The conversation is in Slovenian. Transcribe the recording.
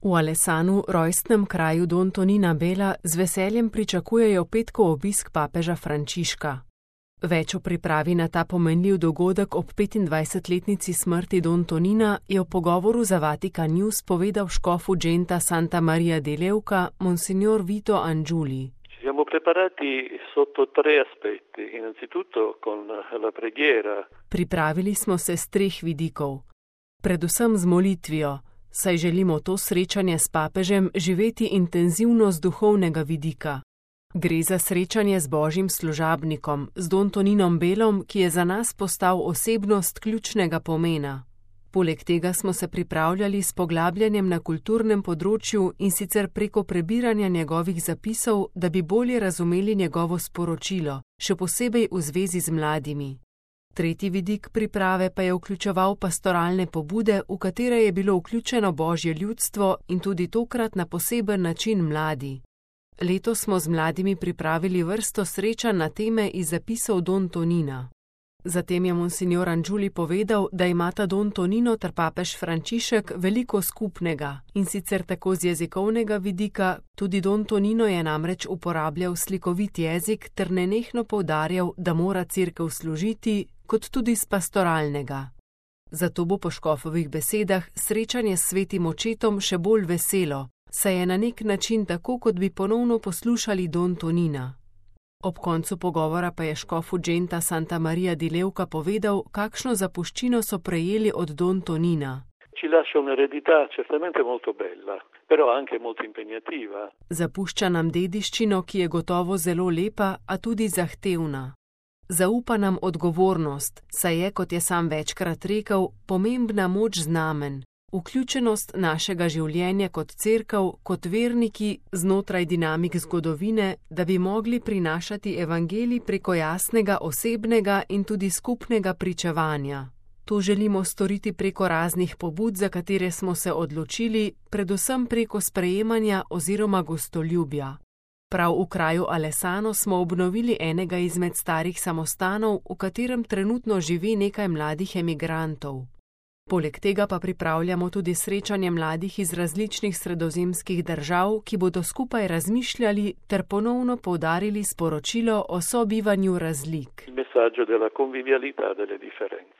V Alessanu, rojstnem kraju Don Tonina Bela, z veseljem pričakujejo petkov obisk papeža Frančiška. Več o pripravi na ta pomenljiv dogodek ob 25-letnici smrti Don Tonina je v pogovoru za Vatikan News povedal škof Ugenta Santa Maria di Leuca, monsignor Vito Angiuli. Siamo preparati sotto 3 aspetti, innanzitutto con la preghiera. Pripravili smo se s 3 vidikov. Predvsem z molitvijo, saj želimo to srečanje s papežem živeti intenzivno z duhovnega vidika. Gre za srečanje z Božjim služabnikom, z Don Toninom Belom, ki je za nas postal osebnost ključnega pomena. Poleg tega smo se pripravljali s poglabljanjem na kulturnem področju in sicer preko prebiranja njegovih zapisov, da bi bolje razumeli njegovo sporočilo, še posebej v zvezi z mladimi. Tretji vidik priprave pa je vključeval pastoralne pobude, v katere je bilo vključeno Božje ljudstvo in tudi tokrat na poseben način mladi. Letos smo z mladimi pripravili vrsto srečanj na teme iz zapisov Don Tonina. Zatem je monsignor Angiuli povedal, da imata Don Tonino ter papež Frančišek veliko skupnega, in sicer tako z jezikovnega vidika, tudi Don Tonino je namreč uporabljal slikovit jezik ter nenehno poudarjal, da mora cerkev služiti, kot tudi z pastoralnega. Zato bo po škofovih besedah srečanje s svetim očetom še bolj veselo, saj je na nek način tako, kot bi ponovno poslušali Don Tonina. Ob koncu pogovora pa je škof Ugenta Santa Maria di Leuca povedal, kakšno zapuščino so prejeli od Don Tonina. Ci lascia un'eredità certamente molto bella, però anche molto impegnativa. Zapušča nam dediščino, ki je gotovo zelo lepa, a tudi zahtevna. Zaupa nam odgovornost, saj je, kot je sam večkrat rekel, pomembna moč znamen. Vključenost našega življenja kot cerkev, kot verniki znotraj dinamik zgodovine, da bi mogli prinašati evangelij preko jasnega osebnega in tudi skupnega pričevanja. To želimo storiti preko raznih pobud, za katere smo se odločili, predvsem preko sprejemanja oziroma gostoljubja. Prav v kraju Alessano smo obnovili enega izmed starih samostanov, v katerem trenutno živi nekaj mladih emigrantov. Poleg tega pa pripravljamo tudi srečanje mladih iz različnih sredozemskih držav, ki bodo skupaj razmišljali ter ponovno poudarili sporočilo o sobivanju razlik. Il messaggio della convivialità delle differenze.